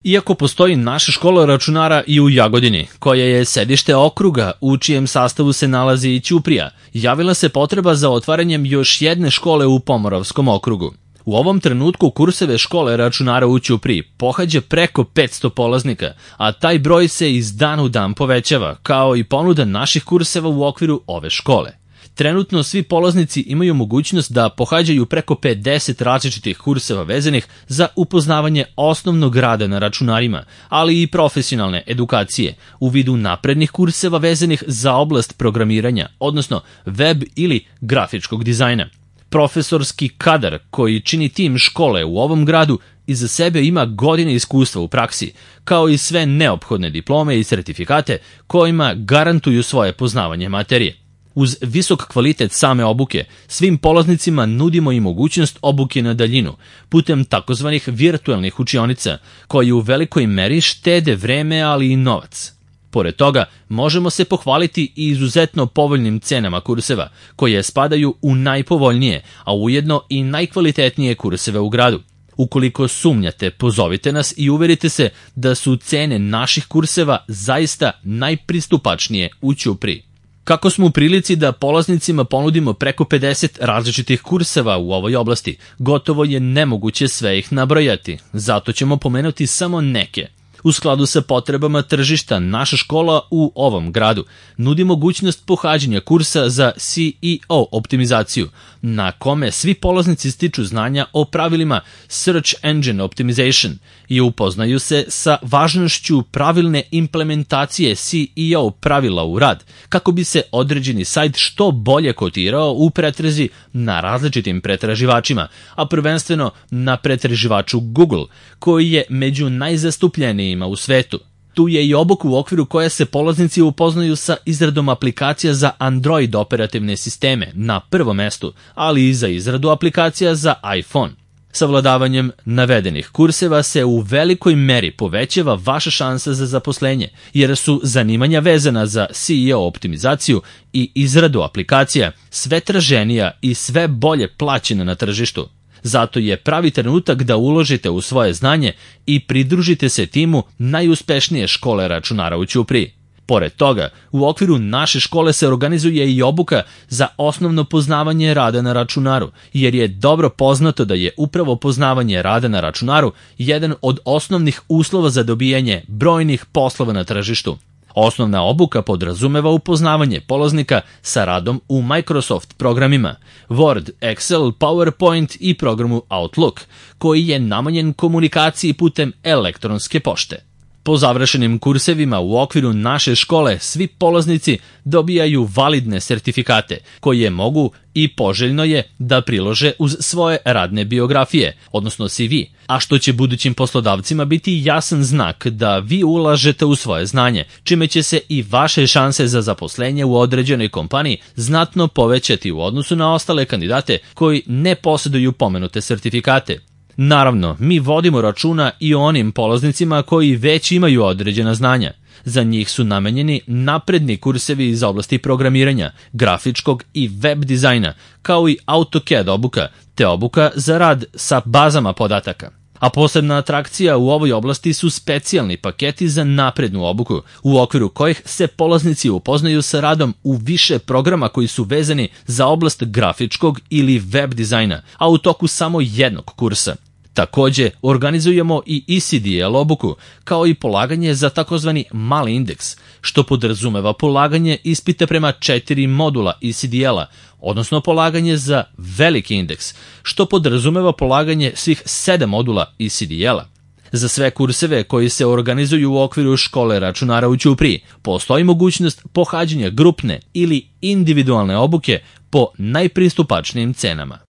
Iako postoji naša škola računara i u Jagodini, koja je sedište okruga u čijem sastavu se nalazi i Ćuprija, javila se potreba za otvaranjem još jedne škole u Pomoravskom okrugu. U ovom trenutku kurseve škole računara u Ćupriji pohađa preko 500 polaznika, a taj broj se iz dana u dan povećava, kao i ponuda naših kurseva u okviru ove škole. Trenutno svi polaznici imaju mogućnost da pohađaju preko 50 različitih kurseva vezanih za upoznavanje osnovnog rada na računarima, ali i profesionalne edukacije u vidu naprednih kurseva vezanih za oblast programiranja, odnosno web ili grafičkog dizajna. Profesorski kadar koji čini tim škole u ovom gradu iza sebe ima godine iskustva u praksi, kao i sve neophodne diplome i sertifikate kojima garantuju svoje poznavanje materije. Uz visok kvalitet same obuke, svim polaznicima nudimo i mogućnost obuke na daljinu, putem takozvanih virtualnih učionica, koji u velikoj meri štede vreme, ali i novac. Pored toga, možemo se pohvaliti i izuzetno povoljnim cenama kurseva, koje spadaju u najpovoljnije, a ujedno i najkvalitetnije kurseve u gradu. Ukoliko sumnjate, pozovite nas i uverite se da su cene naših kurseva zaista najpristupačnije u Ćupriji. Kako smo u prilici da polaznicima ponudimo preko 50 različitih kurseva u ovoj oblasti, gotovo je nemoguće sve ih nabrojati, zato ćemo pomenuti samo neke. U skladu sa potrebama tržišta, naša škola u ovom gradu nudi mogućnost pohađanja kursa za SEO optimizaciju, na kome svi polaznici stiču znanja o pravilima Search Engine Optimization i upoznaju se sa važnošću pravilne implementacije SEO pravila u rad, kako bi se određeni sajt što bolje kotirao u pretrazi na različitim pretraživačima, a prvenstveno na pretraživaču Google, koji je među najzastupljenijima u svetu. Tu je i obuka u okviru koje se polaznici upoznaju sa izradom aplikacija za Android operativne sisteme na prvom mestu, ali i za izradu aplikacija za iPhone. Savladavanjem navedenih kurseva se u velikoj meri povećava vaša šansa za zaposlenje, jer su zanimanja vezana za SEO optimizaciju i izradu aplikacija sve traženija i sve bolje plaćena na tržištu. Zato je pravi trenutak da uložite u svoje znanje i pridružite se timu najuspešnije škole računara u Ćupriji. Pored toga, u okviru naše škole se organizuje i obuka za osnovno poznavanje rada na računaru, jer je dobro poznato da je upravo poznavanje rada na računaru jedan od osnovnih uslova za dobijanje brojnih poslova na tržištu. Osnovna obuka podrazumeva upoznavanje polaznika sa radom u Microsoft programima, Word, Excel, PowerPoint i programu Outlook, koji je namenjen komunikaciji putem elektronske pošte. Po završenim kursevima u okviru naše škole svi polaznici dobijaju validne sertifikate koje mogu i poželjno je da prilože uz svoje radne biografije, odnosno CV, a što će budućim poslodavcima biti jasan znak da vi ulažete u svoje znanje, čime će se i vaše šanse za zaposlenje u određenoj kompaniji znatno povećati u odnosu na ostale kandidate koji ne posjeduju pomenute sertifikate. Naravno, mi vodimo računa i o onim polaznicima koji već imaju određena znanja. Za njih su namenjeni napredni kursevi iz oblasti programiranja, grafičkog i web dizajna, kao i AutoCAD obuka, te obuka za rad sa bazama podataka. A posebna atrakcija u ovoj oblasti su specijalni paketi za naprednu obuku, u okviru kojih se polaznici upoznaju sa radom u više programa koji su vezani za oblast grafičkog ili web dizajna, a u toku samo jednog kursa. Takođe, organizujemo i ECDL obuku, kao i polaganje za takozvani mali indeks, što podrazumeva polaganje ispita prema 4 modula ECDL-a, odnosno polaganje za veliki indeks, što podrazumeva polaganje svih 7 modula ECDL-a. Za sve kurseve koji se organizuju u okviru škole računara u Ćupriji, postoji mogućnost pohađanja grupne ili individualne obuke po najpristupačnijim cenama.